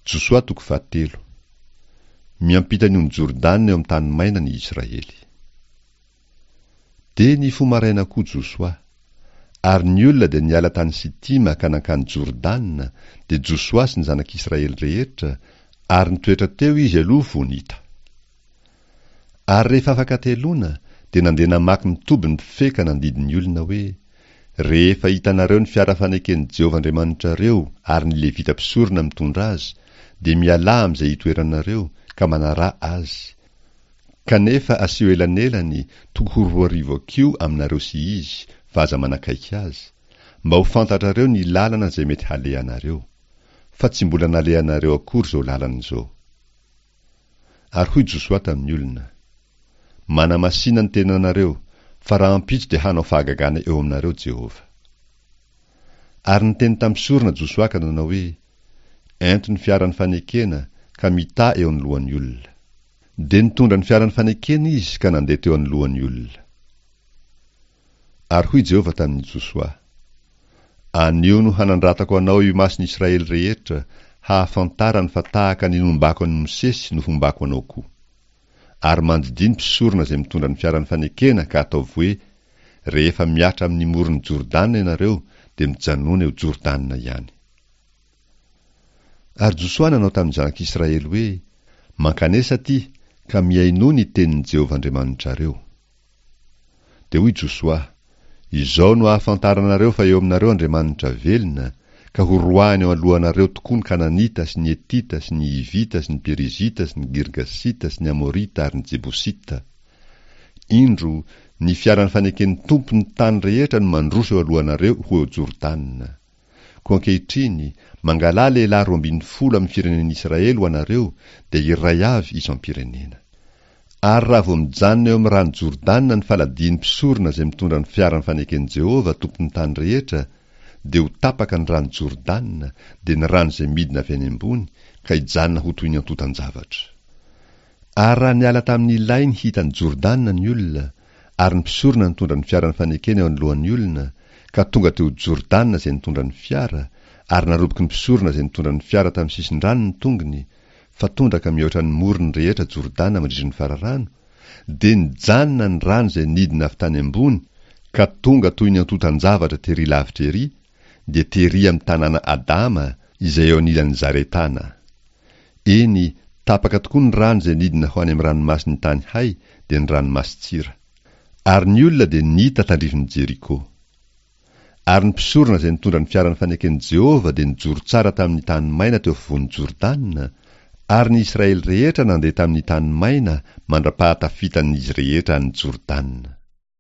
Josoa toko fahatelo. Miampita ny ony Jordana eo amin'ny tany maina ny Israely. Dia nifoha maraina koa Josoa. Ary ny olona dia niala tany Sitima ka nankany Jordana, dia Josoa sy ny zanak'Israely rehetra, ary nitoetra teo izy aloha vao nita. Ary rehefa afaka hateloana, dia nandeha namaky ny toby ny mpifehy ka nandidy ny olona hoe, Rehefa hitanareo ny fiara faneken'i Jehovah Andriamanitrareo ary ny Levita mpisorona mitondra azy, dia mialà amin'izay itoeranareo, ka manaraha azy. Kanefa asio elanelany tokony ho 2000 hakiho aminareo sy izy, fa aza manakaiky azy, mba ho fantatrareo ny lalana izay mety halehanareo. Fa tsy mbola nalehanareo akory izao lalana izao. Ary hoy Josoa tamin'ny olona, Manamasìna ny tenanareo, fa rahampitso dia hanao fahagagana eo aminareo Jehovah. Ary niteny tamin'ny mpisorona Josoa ka nanao hoe, Ento ny fiaran'ny fanekena, ka mità eo anoloan'ny olona. Dia nitondra ny fiaran'ny fanekena izy ka nandeha teo anoloan'ny olona. Ary hoy Jehovah tamin'i Josoa, Anio no hanandratako anao eo imason'i Israely rehetra, hahafantarany fa tahaka ny nombako an'i Mosesy no hombako anao koa. Ary mandidia ny mpisorona izay mitondra ny fiaran'ny fanekena ka ataovy hoe, Rehefa mihatra amin'ny moron'i Jordana ianareo, dia mijanòna eo Jordana ihany. Ary Josoa nanao tamin'ny zanak'Israely hoe, Mankanesa atỳ, ka mihainoa ny tenin'i Jehovah Andriamanitrareo. Dia hoy Josoa, Izao no ahafantaranareo fa eo aminareo Andriamanitra velona, ka horoahiny eo alohanareo tokoa ny Kananita sy ny Hetita sy ny Hivita sy ny Perizita sy ny Girgasita sy ny Amorita ary ny Jebosita. Indro, ny fiaran'ny faneken'ny Tompo ny tany rehetra no mandroso eo alohanareo ho eo Jordana. Koa ankehitriny, mangalà lehilahy 12 amin'ny firenen'Israely ho anareo, dia iray avy isam-pirenena. Ary raha vao mijanona eo amin'ny rano Jordana ny faladian'ny mpisorona izay mitondra ny fiaran'ny faneken'i Jehovah, Tompon'ny tany rehetra, dia ho tapaka ny rano Jordana, dia ny rano izay midina avy any ambony, ka hijanona ho toy ny antontan-javatra. Ary raha niala tamin'ny lainy hita an'i Jordana ny olona, ary ny mpisorona nitondra ny fiaran'ny fanekena eo anoloan'ny olona, ka tonga teo Jordana izay nitondra ny fiara, ary naroboky ny mpisorona izay nitondra ny fiara tamin'ny sisin-drano ny tongony, fa tondraka mihoatra ny morony rehetra Jordana mandritry ny fararano, dia nijanona ny rano izay nidina avy tany ambony ka tonga toy ny antontan-javatra tery lavitra ery, dia tery amin'ny tanàna Adama izay eo anilan'i Zaretana. Eny, tapaka tokoa ny rano izay nidina ho any amin'ny ranomasin'ny tany hay, dia ny ranomasin-tsira. Ary ny olona dia nita tandrifin'i Jeriko. Ary ny mpisorona izay nitondra ny fiaran'ny faneken'i Jehovah dia nijoro tsara tamin'ny tany maina teo afovoan'i Jordana, ary ny Israely rehetra nandeha tamin'ny tany maina mandra-pahatafitan'izy rehetra an'i Jordana.